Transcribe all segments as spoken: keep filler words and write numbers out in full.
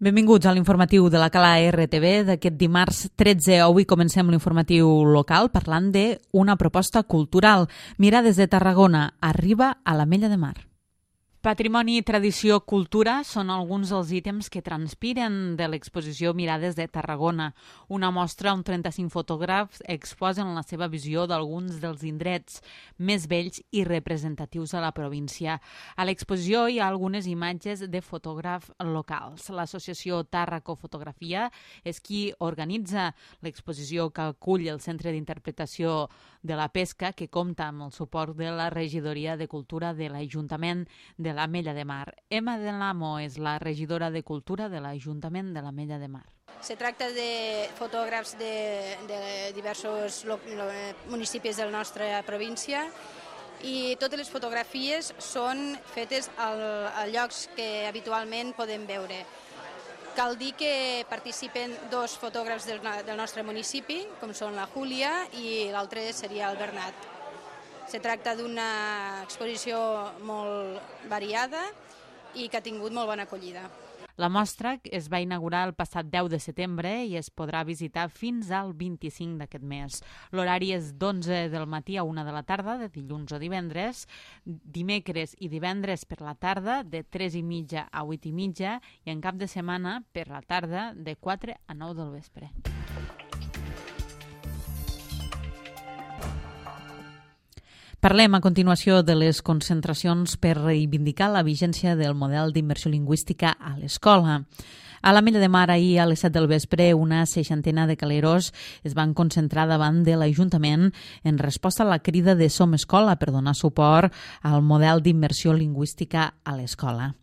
Benvinguts a l'informatiu de la Cala R T V d'aquest dimarts tretze. Avui comencem l'informatiu local parlant d'una proposta cultural. Mirades de Tarragona arriba a l'Ametlla de Mar. Patrimoni, tradició, cultura són alguns dels ítems que transpiren de l'exposició Mirades de Tarragona. Una mostra on trenta-cinc fotògrafs exposen la seva visió d'alguns dels indrets més vells i representatius a la província. A l'exposició hi ha algunes imatges de fotògrafs locals. L'associació Tàrraco Fotografia és qui organitza l'exposició que acull el Centre d'Interpretació de la Pesca, que compta amb el suport de la Regidoria de Cultura de l'Ajuntament de l'Ametlla de Mar. Emma Delamo és la regidora de Cultura de l'Ajuntament de l'Ametlla de Mar. Se tracta de fotògrafs de, de diversos municipis de la nostra província i totes les fotografies són fetes al, a llocs que habitualment podem veure. Cal dir que participen dos fotògrafs del, del nostre municipi, com són la Júlia i l'altre seria el Bernat. Se tracta d'una exposició molt variada i que ha tingut molt bona acollida. La mostra es va inaugurar el passat deu de setembre i es podrà visitar fins al vint-i-cinc d'aquest mes. L'horari és d'onze del matí a una de la tarda, de dilluns o divendres, dimecres i divendres per la tarda, de tres i mitja a vuit i mitja, i en cap de setmana per la tarda, de quatre a nou del vespre. Parlem a continuació de les concentracions per reivindicar la vigència del model d'immersió lingüística a l'escola. A l'Ametlla de Mar, ahir a les set del vespre, una seixantena de caleros es van concentrar davant de l'Ajuntament en resposta a la crida de Som Escola per donar suport al model d'immersió lingüística a l'escola.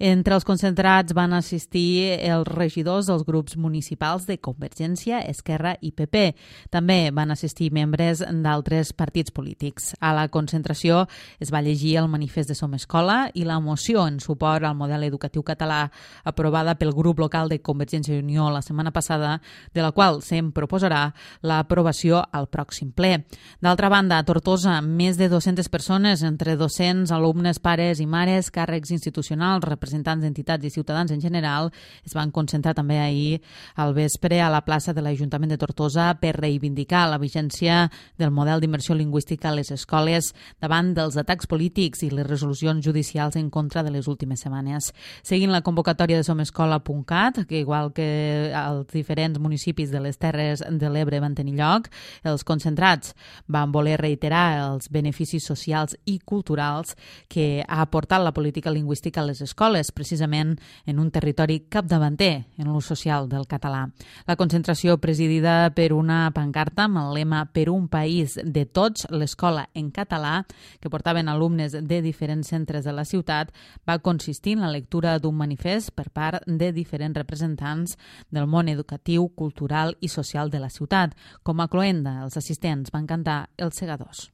Entre els concentrats van assistir els regidors dels grups municipals de Convergència, Esquerra i P P. També van assistir membres d'altres partits polítics. A la concentració es va llegir el manifest de Som Escola i la moció en suport al model educatiu català aprovada pel grup local de Convergència i Unió la setmana passada, de la qual se'n proposarà l'aprovació al pròxim ple. D'altra banda, a Tortosa, més de dues-centes persones, entre docents, alumnes, pares i mares, càrrecs institucionals, representants d'entitats i ciutadans en general, es van concentrar també ahir al vespre a la plaça de l'Ajuntament de Tortosa per reivindicar la vigència del model d'immersió lingüística a les escoles davant dels atacs polítics i les resolucions judicials en contra de les últimes setmanes. Seguint la convocatòria de somescola punt cat, que igual que els diferents municipis de les Terres de l'Ebre van tenir lloc, els concentrats van voler reiterar els beneficis socials i culturals que ha aportat la política lingüística a les escoles, precisament en un territori capdavanter en l'ús social del català. La concentració, presidida per una pancarta amb el lema Per un país de tots, l'escola en català, que portaven alumnes de diferents centres de la ciutat, va consistir en la lectura d'un manifest per part de diferents representants del món educatiu, cultural i social de la ciutat. Com a cloenda, els assistents van cantar Els Segadors.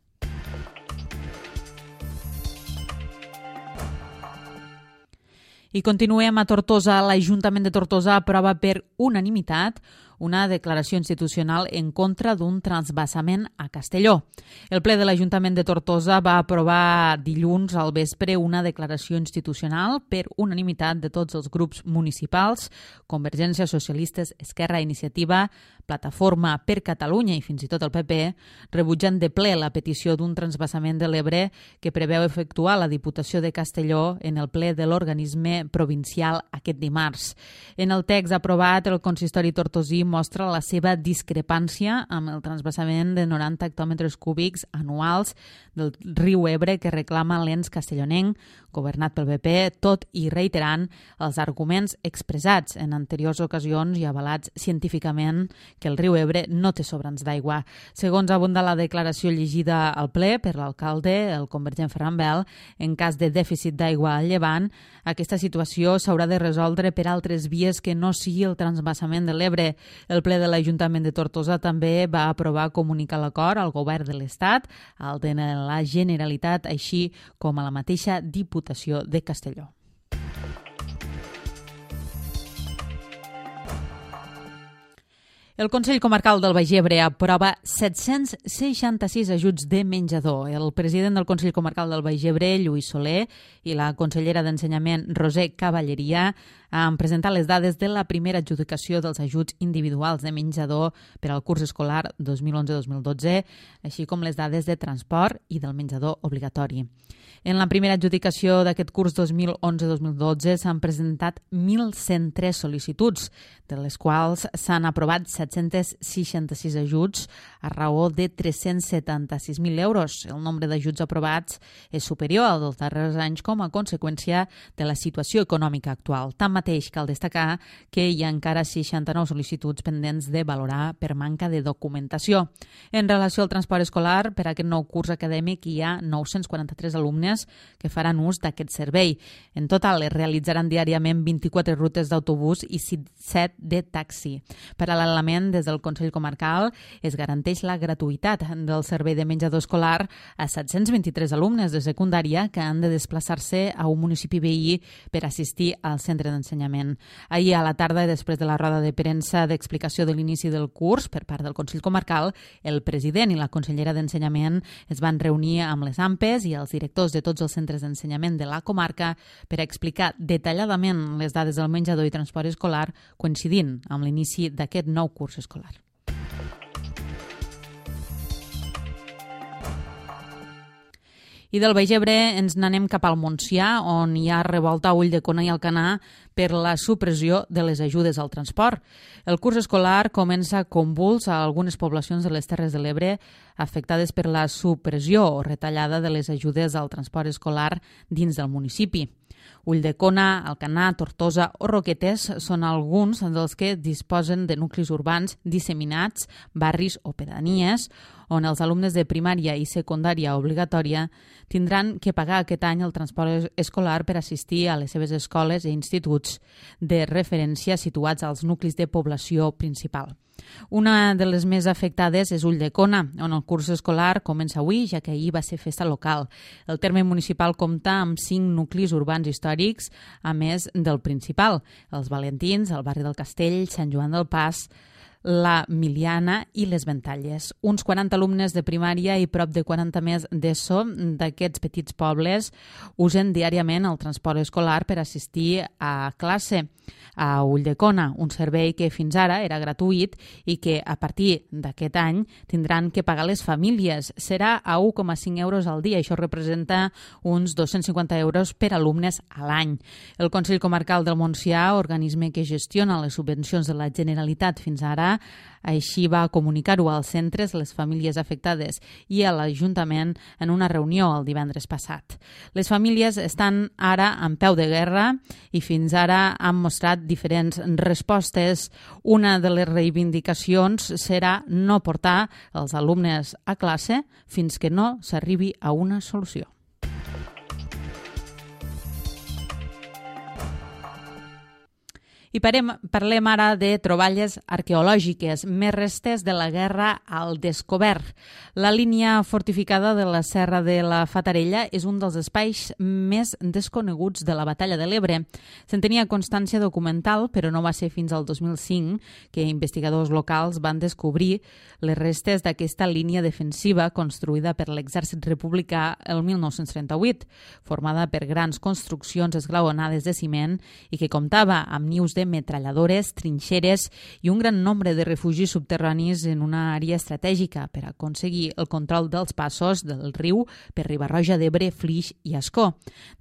I continuem a Tortosa. L'Ajuntament de Tortosa aprova per unanimitat una declaració institucional en contra d'un transvasament a Castelló. El ple de l'Ajuntament de Tortosa va aprovar dilluns al vespre una declaració institucional per unanimitat de tots els grups municipals, Convergència, Socialistes, Esquerra, Iniciativa, Plataforma per Catalunya i fins i tot el P P, rebutjant de ple la petició d'un transvasament de l'Ebre que preveu efectuar la Diputació de Castelló en el ple de l'organisme provincial aquest dimarts. En el text aprovat, el consistori tortosí mostra la seva discrepància amb el transvasament de noranta hectòmetres cúbics anuals del riu Ebre que reclama l'ens castellonenc, governat pel P P, tot i reiterant els arguments expressats en anteriors ocasions i avalats científicament que el riu Ebre no té sobrants d'aigua. Segons abunda la declaració llegida al ple per l'alcalde, el convergent Ferran Bel, en cas de dèficit d'aigua al llevant, aquesta situació s'haurà de resoldre per altres vies que no sigui el transvasament de l'Ebre. El ple de l'Ajuntament de Tortosa també va aprovar comunicar l'acord al govern de l'Estat, al de la Generalitat, així com a la mateixa Diputació de Castelló. El Consell Comarcal del Baix Ebre aprova set-cents seixanta-sis ajuts de menjador. El president del Consell Comarcal del Baix Ebre, Lluís Soler, i la consellera d'Ensenyament, Roser Cavalleria, han presentat les dades de la primera adjudicació dels ajuts individuals de menjador per al curs escolar dos mil onze dos mil dotze, així com les dades de transport i del menjador obligatori. En la primera adjudicació d'aquest curs dos mil onze dos mil dotze s'han presentat mil cent tres sol·licituds, de les quals s'han aprovat set-cents seixanta-sis ajuts a raó de tres-cents setanta-sis mil euros. El nombre d'ajuts aprovats és superior al dels darrers anys com a conseqüència de la situació econòmica actual. Tanmateix, cal destacar que hi ha encara seixanta-nou sol·licituds pendents de valorar per manca de documentació. En relació al transport escolar, per a aquest nou curs acadèmic hi ha nou-cents quaranta-tres alumnes que faran ús d'aquest servei. En total es realitzaran diàriament vint-i-quatre rutes d'autobús i set de taxi. Paral·lelament, des del Consell Comarcal es garanteix la gratuïtat del servei de menjador escolar a set-cents vint-i-tres alumnes de secundària que han de desplaçar-se a un municipi veí per assistir al centre d'ensenyament. Ahir a la tarda, després de la roda de premsa d'explicació de l'inici del curs per part del Consell Comarcal, el president i la consellera d'Ensenyament es van reunir amb les A M P E s i els directors de tots els centres d'ensenyament de la comarca per explicar detalladament les dades del menjador i transport escolar coincidint amb l'inici d'aquest nou curs escolar. I del Baix Ebre ens n'anem cap al Montsià, on hi ha revolta a Ulldecona i Alcanar per la supressió de les ajudes al transport. El curs escolar comença convuls a algunes poblacions de les Terres de l'Ebre afectades per la supressió o retallada de les ajudes al transport escolar dins del municipi. Ulldecona, Alcanar, Tortosa o Roquetes són alguns dels que disposen de nuclis urbans disseminats, barris o pedanies, on els alumnes de primària i secundària obligatòria tindran que pagar aquest any el transport escolar per assistir a les seves escoles i instituts de referència situats als nuclis de població principal. Una de les més afectades és Ulldecona, on el curs escolar comença avui, ja que ahir va ser festa local. El terme municipal compta amb cinc nuclis urbans històrics, a més del principal, els Valentins, el barri del Castell, Sant Joan del Pas, la Miliana i les Ventalles. Uns quaranta alumnes de primària i prop de quaranta més d'ESO d'aquests petits pobles usen diàriament el transport escolar per assistir a classe a Ulldecona, un servei que fins ara era gratuït i que a partir d'aquest any tindran que pagar les famílies. Serà a un coma cinc euros al dia. Això representa uns dos-cents cinquanta euros per alumnes a l'any. El Consell Comarcal del Montsià, organisme que gestiona les subvencions de la Generalitat fins ara, així va comunicar-ho als centres, les famílies afectades i a l'Ajuntament en una reunió el divendres passat. Les famílies estan ara en peu de guerra i fins ara han mostrat diferents respostes. Una de les reivindicacions serà no portar els alumnes a classe fins que no s'arribi a una solució. I parem, parlem ara de troballes arqueològiques, més restes de la guerra al descobert. La línia fortificada de la Serra de la Fatarella és un dels espais més desconeguts de la Batalla de l'Ebre. Se'n tenia constància documental, però no va ser fins al dos mil cinc que investigadors locals van descobrir les restes d'aquesta línia defensiva construïda per l'exèrcit republicà el mil nou-cents trenta-vuit, formada per grans construccions esglaonades de ciment i que comptava amb nius de metralladores, trinxeres i un gran nombre de refugis subterranis en una àrea estratègica per aconseguir el control dels passos del riu per Riba-roja d'Ebre, Flix i Ascó.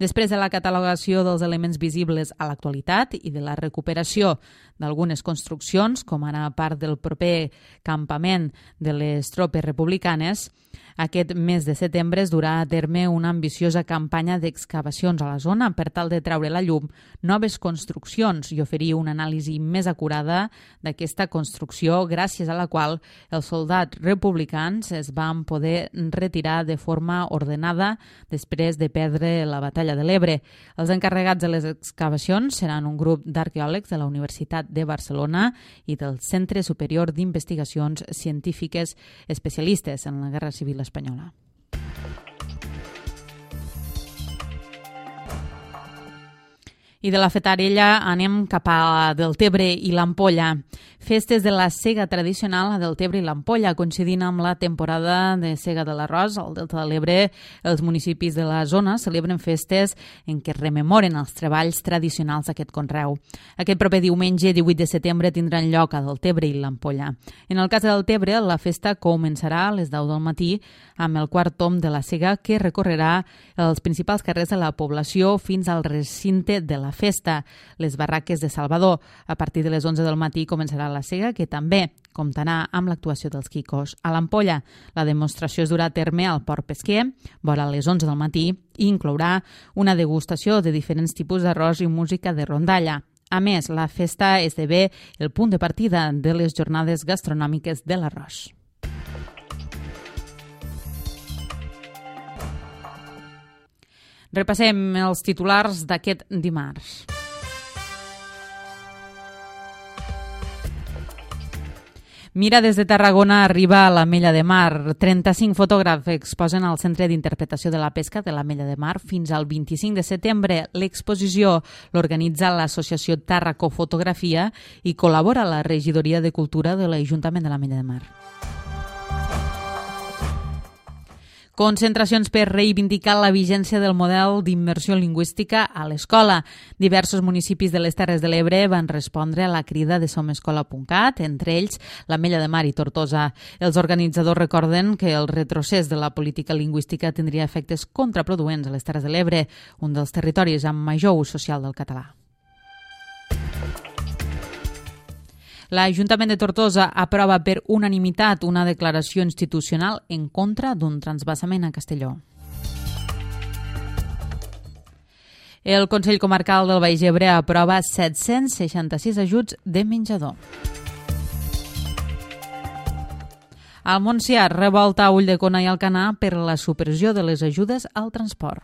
Després de la catalogació dels elements visibles a l'actualitat i de la recuperació d'algunes construccions, com ara part del proper campament de les tropes republicanes, aquest mes de setembre es durà a terme una ambiciosa campanya d'excavacions a la zona per tal de treure a la llum noves construccions i oferir una anàlisi més acurada d'aquesta construcció, gràcies a la qual els soldats republicans es van poder retirar de forma ordenada després de perdre la batalla de l'Ebre. Els encarregats de les excavacions seran un grup d'arqueòlegs de la Universitat de Barcelona i del Centre Superior d'Investigacions Científiques especialistes en la Guerra Civil espanyola. I de la Fatarella anem cap a Deltebre i l'Ampolla. Festes de la sega tradicional a Deltebre i l'Ampolla, coincidint amb la temporada de sega de l'arròs. Al Delta de l'Ebre, els municipis de la zona celebren festes en què rememoren els treballs tradicionals d'aquest conreu. Aquest proper diumenge, divuit de setembre, tindran lloc a Deltebre i l'Ampolla. En el cas de Deltebre, la festa començarà a les deu del matí amb el quart tom de la sega que recorrerà els principals carrers de la població fins al recinte de la festa, les barraques de Salvador. A partir de les onze del matí començarà la sega, que també comptarà amb l'actuació dels Quicos. A l'Ampolla, la demostració es durà a terme al Port Pesquer, vora les onze del matí, i inclourà una degustació de diferents tipus d'arròs i música de rondalla. A més, la festa esdevé el punt de partida de les jornades gastronòmiques de l'arròs. Repassem els titulars d'aquest dimarts. Mira des de Tarragona arriba a l'Ametlla de Mar. trenta-cinc fotògrafs exposen al Centre d'Interpretació de la Pesca de l'Ametlla de Mar fins al vint-i-cinc de setembre. L'exposició l'organitza l'Associació Tàrraco Fotografia i col·labora la Regidoria de Cultura de l'Ajuntament de l'Ametlla de Mar. Concentracions per reivindicar la vigència del model d'immersió lingüística a l'escola. Diversos municipis de les Terres de l'Ebre van respondre a la crida de somescola punt cat, entre ells l'Ametlla de Mar i Tortosa. Els organitzadors recorden que el retrocés de la política lingüística tindria efectes contraproduents a les Terres de l'Ebre, un dels territoris amb major ús social del català. L'Ajuntament de Tortosa aprova per unanimitat una declaració institucional en contra d'un transvasament a Castelló. El Consell Comarcal del Baix Ebre aprova set-cents seixanta-sis ajuts de menjador. Al Montsià, revolta a Ulldecona i Alcanar per la supressió de les ajudes al transport.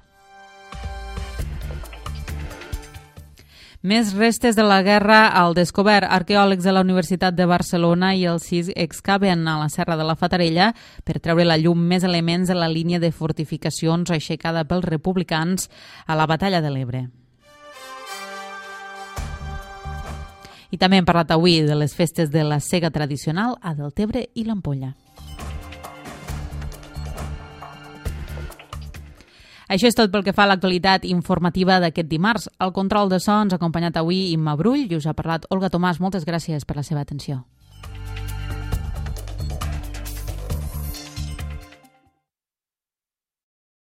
Més restes de la guerra al descobert. Arqueòlegs de la Universitat de Barcelona i el C I S excaven a la Serra de la Fatarella per treure la llum més elements de la línia de fortificacions aixecada pels republicans a la Batalla de l'Ebre. I també hem parlat avui de les festes de la sega tradicional a Deltebre i l'Ampolla. Això és tot pel que fa a l'actualitat informativa d'aquest dimarts. El control de so ens ha acompanyat avui Imma Brull i us ha parlat Olga Tomàs. Moltes gràcies per la seva atenció.